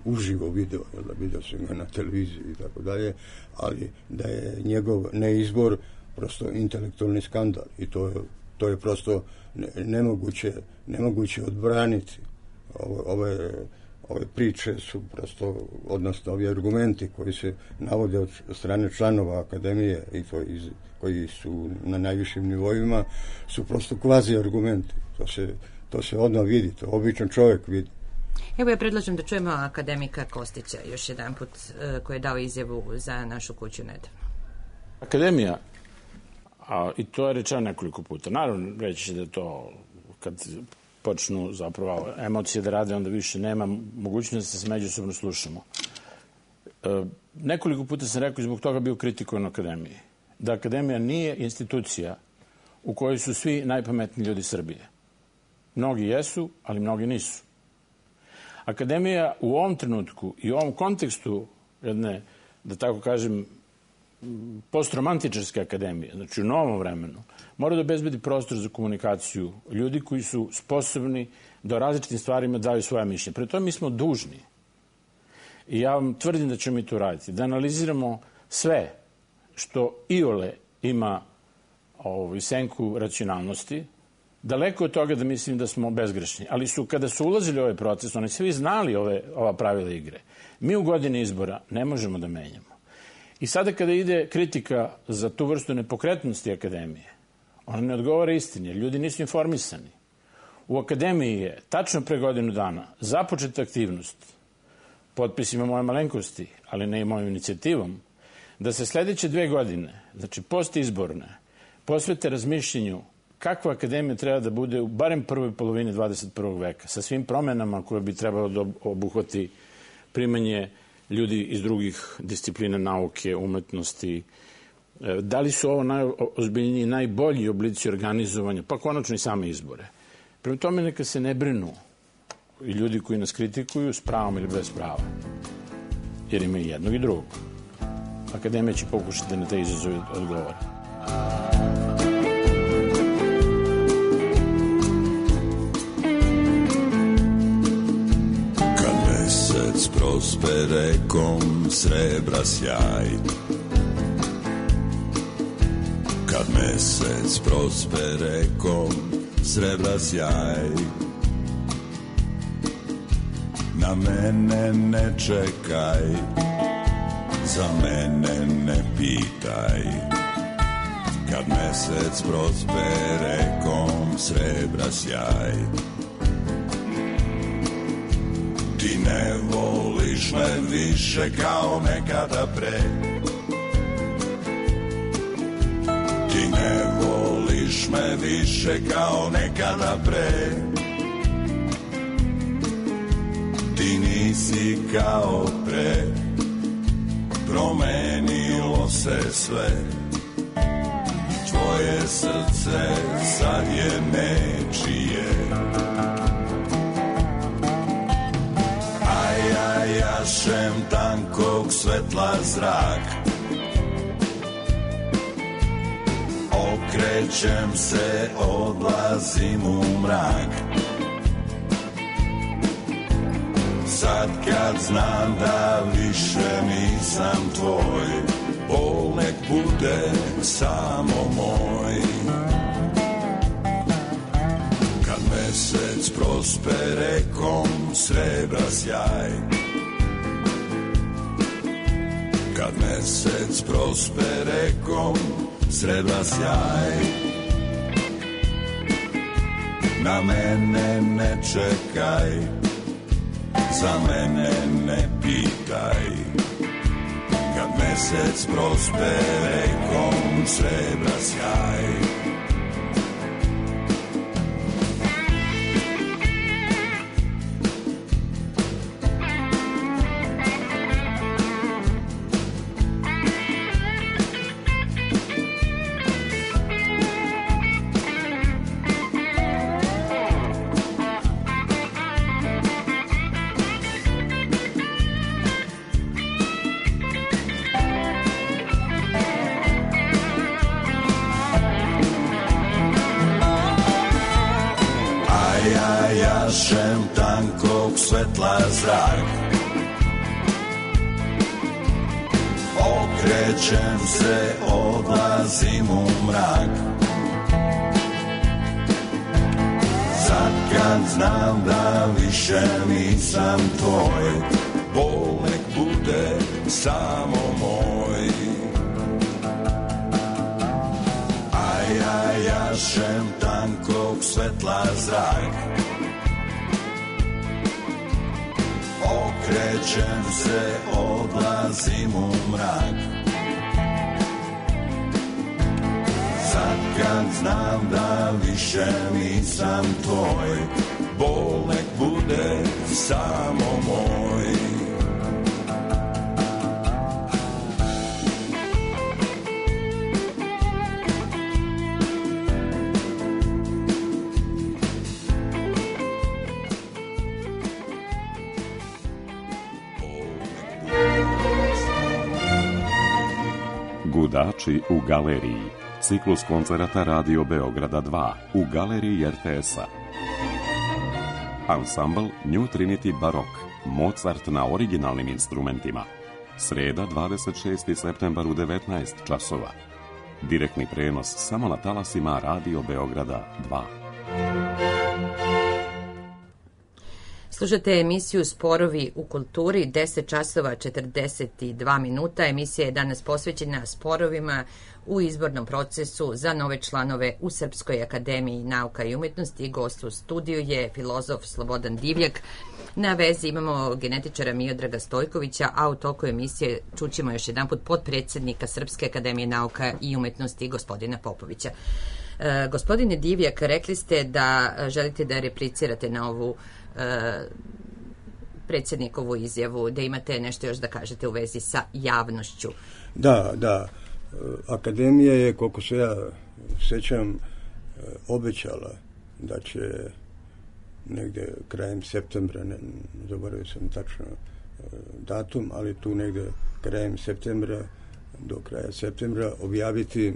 uživo video, da vidio sam ga na televiziji i tako dalje, ali da je njegov neizbor prosto intelektualni skandal i to je, to je prosto nemoguće, nemoguće odbraniti. Ovo, ovo je Ove priče su prosto, odnosno ovi argumenti koji se navode od strane članova akademije i to iz, koji su na najvišim nivoima, su prosto kvazi argumenti. To se, to se odmah vidi, to običan čovjek vidi. Evo ja predlažem da čujemo akademika Kostića još jedan put, koji je dao izjavu za našu kuću nedavno. Akademija, a, i to je rečeno nekoliko puta, naravno reći da to kad počnu zapravo emocije da rade, onda više nema mogućnosti da se međusobno slušamo. E, nekoliko puta sam rekao i zbog toga bio kritikovan akademiji. Da akademija nije institucija u kojoj su svi najpametniji ljudi Srbije. Mnogi jesu, ali mnogi nisu. Akademija u ovom trenutku i u ovom kontekstu jedne, da tako kažem, postromantičarske akademije, znači u novom vremenu, mora da obezbedi prostor za komunikaciju ljudi koji su sposobni da o različitim stvarima daju svoja mišljenja. Pre tome mi smo dužni. I ja vam tvrdim da ćemo mi to raditi. Da analiziramo sve što iole ima ovaj, senku racionalnosti, daleko od toga da mislim da smo bezgrešni. Ali su, kada su ulazili u ovaj proces, oni svi znali ove, ova pravila igre. Mi u godini izbora ne možemo da menjamo. I sada kada ide kritika za tu vrstu nepokretnosti akademije, ona ne odgovara istini, jer ljudi nisu informisani. U akademiji je tačno pre godinu dana započeta aktivnost potpisima moje malenkosti, ali ne i mojom inicijativom, da se sledeće dve godine, znači postizborne, posvete razmišljenju kakva akademija treba da bude u barem prvoj polovini dvadeset prvog veka, sa svim promenama koje bi trebalo da obuhvati primanje ljudi iz drugih disciplina nauke, umetnosti. Da li su ovo najozbiljniji, najbolji oblici organizovanja, pa konačno i same izbore. Prema tome neka se ne brinu i ljudi koji nas kritikuju s pravom ili bez prava. Jer ima i jednog i drugog. Akademija će pokušati da na te izazove odgovori. Mesec prosperekom srebra sjaj, kad mesec prosperekom srebra sjaj, na mene ne čekaj, za mene ne pitaj, kad mesec prosperekom srebra sjaj. Ti ne voliš me više kao nekada pre, ti ne voliš me više kao nekada pre, ti nisi kao pre, promenilo se sve, tvoje srce sad je nečije. Jašem tankog svetla zrak, Okrećem se, odlazim u mrak. Sad kad znam da više nisam tvoj, bol nek bude samo moj. Kad mesec prospere kom srebra sjaj, kad mesec prospere kom srebra sjaj, na mene ne čekaj, za mene ne pitaj. Kad mesec prospere kom srebra sjaj, jašem tankog svetla zrak. Okrećem se, odlazim u mrak. Sad kad znam da više nisam tvoj, bol nek bude samo moj. A ja jašem tankog svetla zrak. Okrećem se, odlazim u mrak. Sad kad znam da više nisam tvoj, bol nek bude samo moj. Gudači u galeriji. Ciklus koncerata Radio Beograda dva u galeriji er te es-a. Ansambl New Trinity Barok. Mozart na originalnim instrumentima. Sreda, dvadeset šesti septembar u devetnaest časova. Direktni prenos samo na talasima Radio Beograda dva. Slušate emisiju Sporovi u kulturi, deset časova četrdeset dva minuta. Emisija je danas posvećena sporovima u izbornom procesu za nove članove u Srpskoj akademiji nauka i umetnosti. Gost u studiju je filozof Slobodan Divjak. Na vezi imamo genetičara Miodraga Stojkovića, a u toku emisije čućemo još jedan put potpredsjednika Srpske akademije nauka i umetnosti, gospodina Popovića. E, gospodine Divjak, rekli ste da želite da replicirate na ovu predsjednikovu izjavu, da imate nešto još da kažete u vezi sa javnošću. Da, da. Akademija je, koliko se ja sećam, obećala da će negde krajem septembra, ne zaboravio sam tačno datum, ali tu negde krajem septembra, do kraja septembra objaviti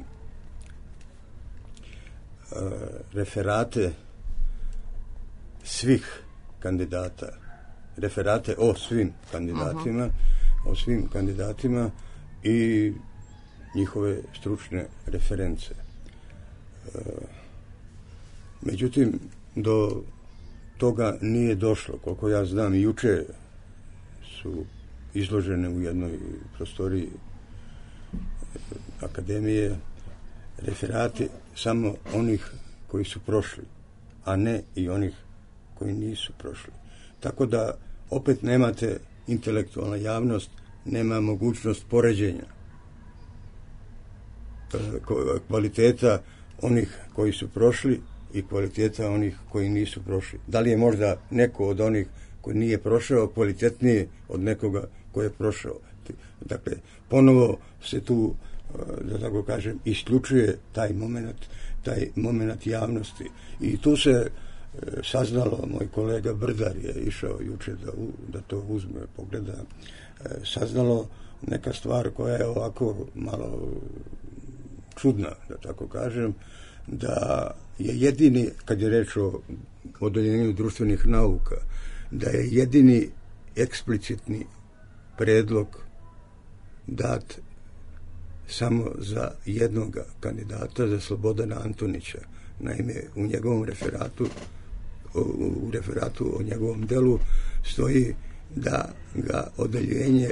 referate svih kandidata, referate o svim kandidatima, uh-huh. o svim kandidatima i njihove stručne reference. E, međutim, do toga nije došlo. Koliko ja znam, juče su izložene u jednoj prostoriji akademije referati samo onih koji su prošli, a ne i onih koji nisu prošli. Tako da opet nemate intelektualna javnost, nema mogućnost poređenja kvaliteta onih koji su prošli i kvaliteta onih koji nisu prošli. Da li je možda neko od onih koji nije prošao kvalitetniji od nekoga koji je prošao? Dakle, ponovo se tu, da tako kažem, isključuje taj moment, taj moment javnosti. I tu se saznalo, moj kolega Brdar je išao juče da, da to uzme, pogleda, saznalo neka stvar koja je ovako malo čudna, da tako kažem, da je jedini, kad je reč o odeljenju društvenih nauka, da je jedini eksplicitni predlog dat samo za jednog kandidata, za Slobodana Antonića. Naime, u njegovom referatu, u referatu o njegovom delu stoji da ga odeljenje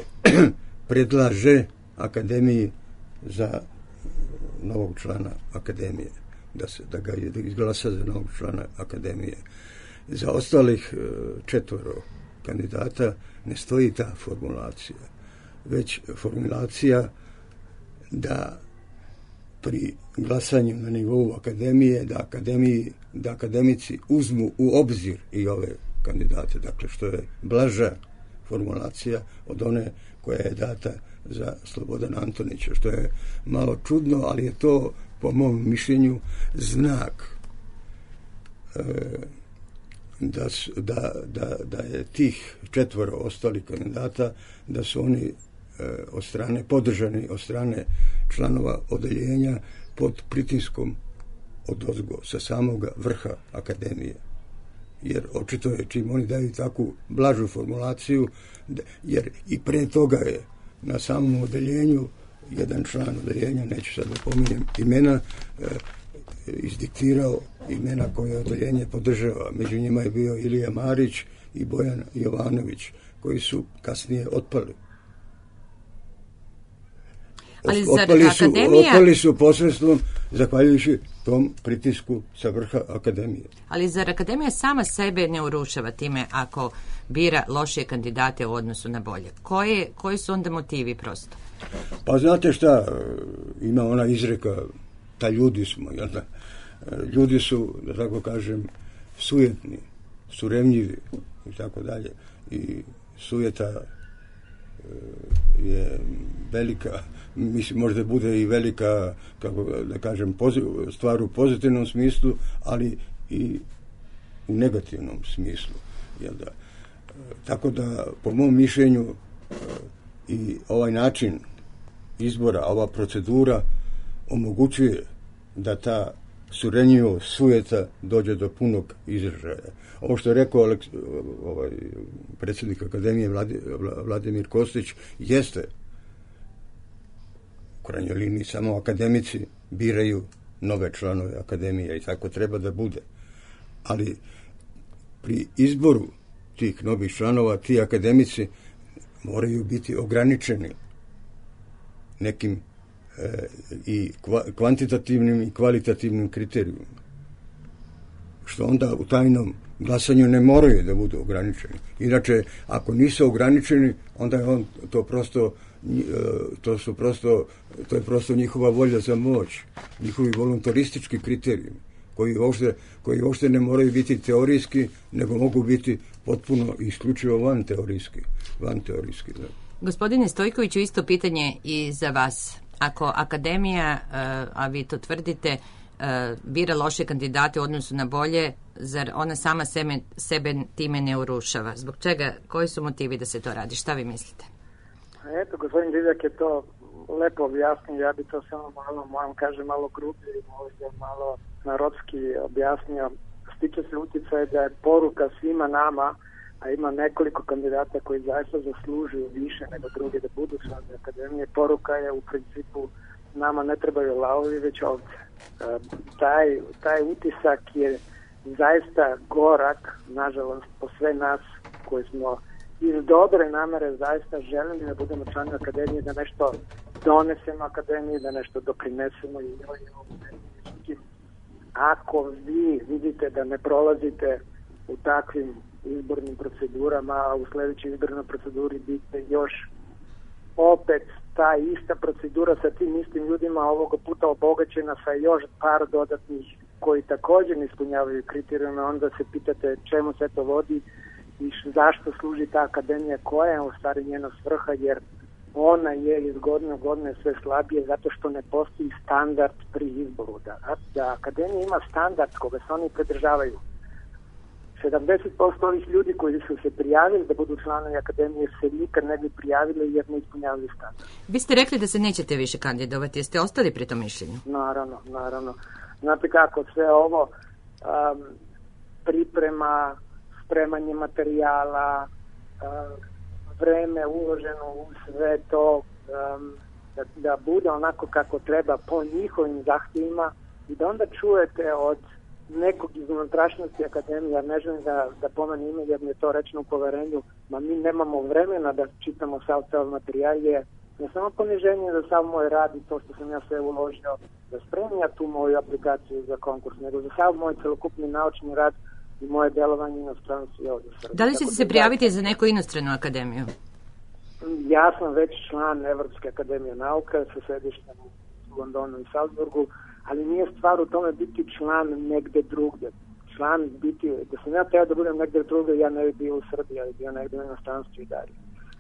predlaže akademiji za novog člana akademije, da se da ga izglasa za novog člana akademije. Za ostalih četvoro kandidata ne stoji ta formulacija, već formulacija da pri glasanju na nivou akademije, da akademiji, da akademici uzmu u obzir i ove kandidate, dakle što je blaža formulacija od one koja je data za Slobodana Antonića, što je malo čudno, ali je to po mom mišljenju znak e, da, su, da, da, da je tih četvoro ostalih kandidata, da su oni e, od strane, podržani od strane članova odeljenja pod pritiskom odozgo, sa samog vrha akademije. Jer očito je, čim oni daju takvu blažu formulaciju, jer i pre toga je na samom odeljenju jedan član odeljenja, neću sad da pominjem imena, e, izdiktirao imena koje odeljenje podržava. Među njima je bio Ilija Marić i Bojan Jovanović, koji su kasnije otpali. Ali otpali, su, akademija... otpali su posredstvom zahvaljujući tom pritisku sa vrha akademije. Ali zar akademija sama sebe ne urušava time ako bira lošije kandidate u odnosu na bolje? Koje, koji su onda motivi prosto? Pa znate šta, ima ona izreka, ta ljudi smo, jel da? Ljudi su, da tako kažem, sujetni, surevnjivi i tako dalje. I sujeta je velika, mislim, možda bude i velika, kako da kažem, poziv, stvar u pozitivnom smislu, ali i u negativnom smislu. Jel da? Tako da, po mom mišljenju, i ovaj način izbora, ova procedura omogućuje da ta surenjivost sujeta dođe do punog izražaja. Ovo što je rekao Aleks, ovaj, predsjednik Akademije Vladimir Kostić jeste u krajnjoj liniji samo akademici biraju nove članove Akademije i tako treba da bude. Ali pri izboru tih novih članova ti akademici moraju biti ograničeni nekim e, i kvantitativnim i kvalitativnim kriterijumima. Što onda u tajnom glasanju ne moraju da budu ograničeni. Inače, ako nisu ograničeni, onda je on to prosto to su prosto to je prosto njihova volja za moć, njihovi voluntaristički kriterijumi koji uopšte, koji uopšte ne moraju biti teorijski, nego mogu biti potpuno i isključivo van teorijski. Van teorijski, da. Gospodine Stojkoviću, isto pitanje i za vas. Ako akademija, a vi to tvrdite, bira loše kandidate u odnosu na bolje, zar ona sama sebe, sebe time ne urušava? Zbog čega? Koji su motivi da se to radi? Šta vi mislite? Eto, gospodin Divjak je to lepo objasnio, ja bi to samo malo, moram kažem, malo grublje i možda malo narodski objasnio. Stiče se utjecaj da je poruka svima nama, a ima nekoliko kandidata koji zaista zaslužuju više nego drugi da budu članovi akademije. Poruka je u principu nama ne trebaju lavovi, već ovce. E, taj, taj utisak je zaista gorak, nažalost, po sve nas koji smo iz dobre namere zaista želimo da budemo članovi akademije, da nešto donesemo akademiji, da nešto doprinesemo i njoj. Ako vi vidite da ne prolazite u takvim izbornim procedurama, a u sljedećoj izbornoj proceduri biti još opet ta ista procedura sa tim istim ljudima, ovoga puta obogaćena sa još par dodatnih koji također ne ispunjavaju kriterijume, onda se pitate čemu se to vodi i zašto služi ta akademija, koja je u stvari njena svrha, jer ona je iz godine u godine sve slabije zato što ne postoji standard pri izboru. Da, da akademija ima standard koga se oni pridržavaju. sedamdeset posto ovih ljudi koji su se prijavili da budu članovi akademije se nikad ne bi prijavili jer ne ispunjavaju standard. Vi ste rekli da se nećete više kandidovati, jeste ostali pri tom mišljenju? Naravno, naravno. Znate kako, sve ovo um, priprema, spremanje materijala, um, vreme uloženo u sve to, um, da, da bude onako kako treba po njihovim zahtjevima i da onda čujete od nekog iz unutrašnjosti akademije, ja ne želim da, da pomenem ime jer mi je to rečeno u poverenju, ma mi nemamo vremena da čitamo sav taj materijal, je ne samo poniženje za sav moj rad i to što sam ja sve uložio da spremim ja tu moju aplikaciju za konkurs, nego za sav moj celokupni naučni rad i moje delovanje inostranstvu i ovdje u Srbiji. Da li ćete se prijaviti za neku inostranu akademiju? Ja sam već član Evropske akademije nauka sa sedištem u Londonu i Salzburgu, ali nije stvar u tome biti član negde drugde. Član biti, da sam ja teo da budem negde drugde, ja ne bi bio u Srbiji, ali bio negde u inostranstvu i dalje.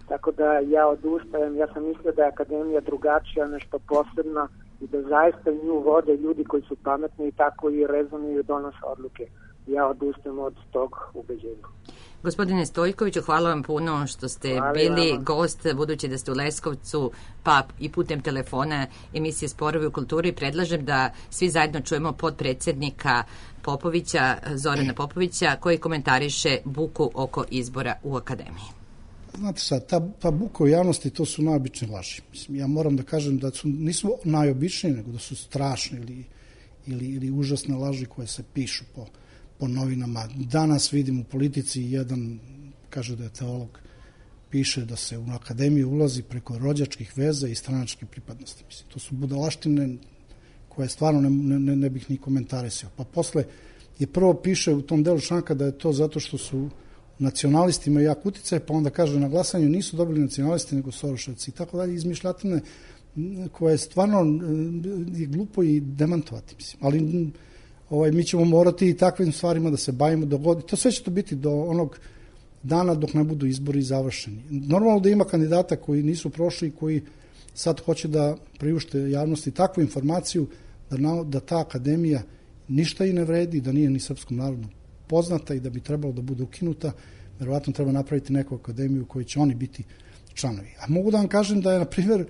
Tako da ja odustajem, ja sam mislio da je akademija drugačija, nešto posebna i da zaista nju vode ljudi koji su pametni i tako i rezonuju i donose odluke. Ja odustajem od tog ubeđenja. Gospodine Stojkoviću, hvala vam puno što ste hvala bili vama. Gost, budući da ste u Leskovcu, pa i putem telefona emisije Sporovi u kulturi. Predlažem da svi zajedno čujemo podpredsjednika Popovića, Zorana Popovića, koji komentariše buku oko izbora u akademiji. Znate sad, ta, ta buka u javnosti, to su najobične laži. Mislim, ja moram da kažem da su, nisu najobičnije, nego da su strašne ili, ili, ili užasne laži koje se pišu po po novinama. Danas vidim u politici jedan, kaže da je teolog, piše da se u akademiju ulazi preko rođačkih veza i stranačke pripadnosti. Mislim, to su budalaštine koje stvarno ne, ne, ne bih ni komentarisao. Pa posle je prvo piše u tom delu članka da je to zato što su nacionalisti imaju jak uticaj, pa onda kaže na glasanju nisu dobili nacionalisti nego Soroševci i tako dalje, izmišljatine koje stvarno je glupo i demantovati. Mislim. Ali Ovaj, mi ćemo morati i takvim stvarima da se bavimo do godine. To sve će to biti do onog dana dok ne budu izbori završeni. Normalno da ima kandidata koji nisu prošli i koji sad hoće da priušte javnosti takvu informaciju da, na, da ta akademija ništa i ne vredi, da nije ni srpskom narodu poznata i da bi trebalo da bude ukinuta. Verovatno treba napraviti neku akademiju u kojoj će oni biti članovi. A mogu da vam kažem da je, na primjer,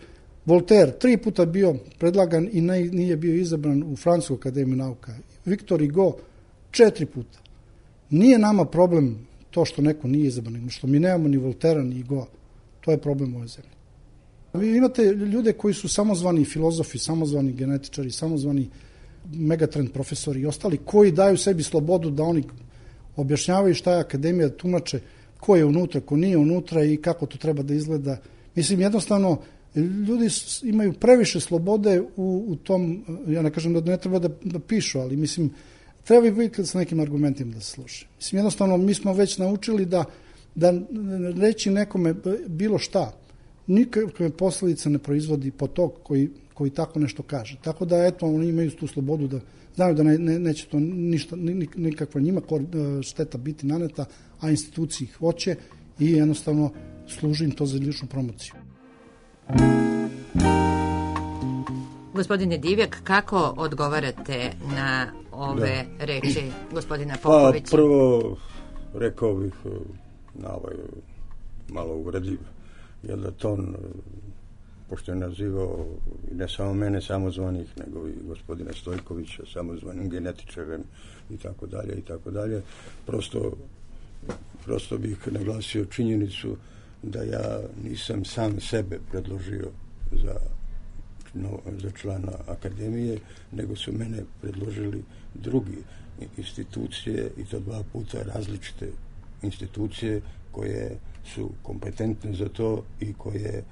Voltaire tri puta bio predlagan i ne, nije bio izabran u Francusku akademiju nauka. Victor Hugo četiri puta. Nije nama problem to što neko nije izabran, nego što mi nemamo ni Voltera ni Hugo. To je problem ove zemlje. Vi imate ljude koji su samozvani filozofi, samozvani genetičari, samozvani megatrend profesori i ostali koji daju sebi slobodu da oni objašnjavaju šta je akademija, tumače ko je unutra, ko nije unutra i kako to treba da izgleda. Mislim, jednostavno, ljudi imaju previše slobode u, u tom, ja ne kažem da ne treba da, da pišu, ali mislim, treba i biti sa nekim argumentima da se sluša. Mislim, jednostavno, mi smo već naučili da, da reći nekome bilo šta, nikakve posljedice ne proizvodi po tog koji, koji tako nešto kaže. Tako da, eto, oni imaju tu slobodu da znaju da ne, ne, neće to ništa, nikakva njima šteta biti naneta, a institucije ih hoće i jednostavno služi im to za ličnu promociju. Gospodine Divjak, kako odgovarate na ove da. reči gospodina Popovića? Pa prvo rekao bih na ovaj malo uvredljiv, jer da ton, pošto je nazivao ne samo mene samozvanih, nego i gospodina Stojkovića samozvanim genetičarem i tako dalje i tako dalje, prosto prosto bih naglasio činjenicu da ja nisam sam sebe predložio za, no, za člana akademije, nego su mene predložili drugi institucije i to dva puta različite institucije koje su kompetentne za to i koje e,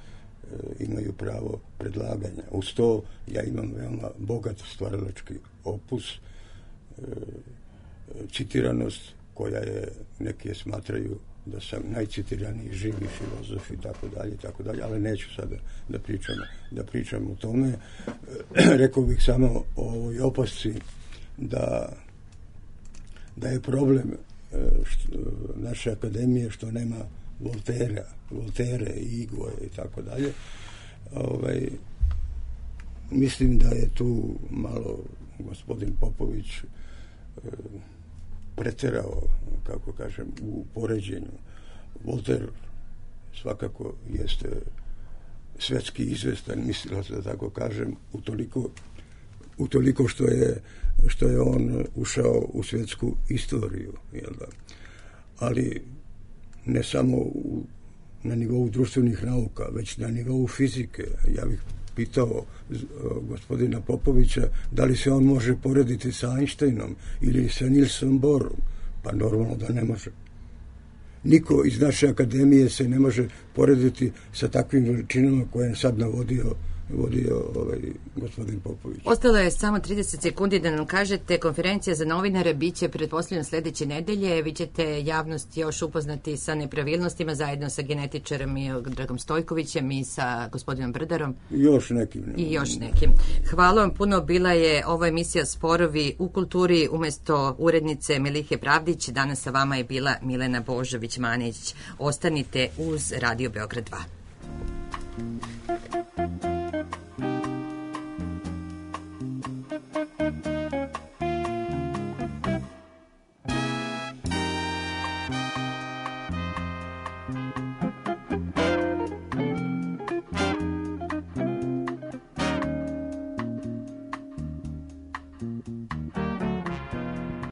imaju pravo predlaganja. Uz to ja imam veoma bogat stvaralački opus, e, citiranost koja je, neki je smatraju da sam najcitiraniji živi filozof i tako dalje, i tako dalje, ali neću sada da pričam, da pričam o tome. Rekao bih samo o ovoj opasci da, da je problem što, naše akademije što nema Voltera, Voltere i Igoje i tako dalje. Ovaj, mislim da je tu malo gospodin Popović preterao, kako kažem, u poređenju. Voltaire svakako jeste svetski izvestan mislilac, da tako kažem, utoliko, utoliko što je, što je on ušao u svetsku istoriju. Jel da? Ali ne samo u, na nivou društvenih nauka, već na nivou fizike. Ja bih pitao gospodina Popovića da li se on može porediti sa Einsteinom ili sa Nielsom Bohrom. Pa normalno da ne može. Niko iz naše akademije se ne može porediti sa takvim veličinama koje je sad navodio vodio ovaj gospodin Popović. Ostalo je samo trideset sekundi da nam kažete, konferencija za novinare biće pretpostavljeno sledeće nedelje. Vi ćete javnost još upoznati sa nepravilnostima zajedno sa genetičarom i Dragom Stojkovićem i sa gospodinom Brdarom. I još nekim. Ne. I još nekim. Hvala vam puno. Bila je ova emisija Sporovi u kulturi. Umesto urednice Milihe Pravdić, danas sa vama je bila Milena Božović-Manić. Ostanite uz Radio Beograd dva.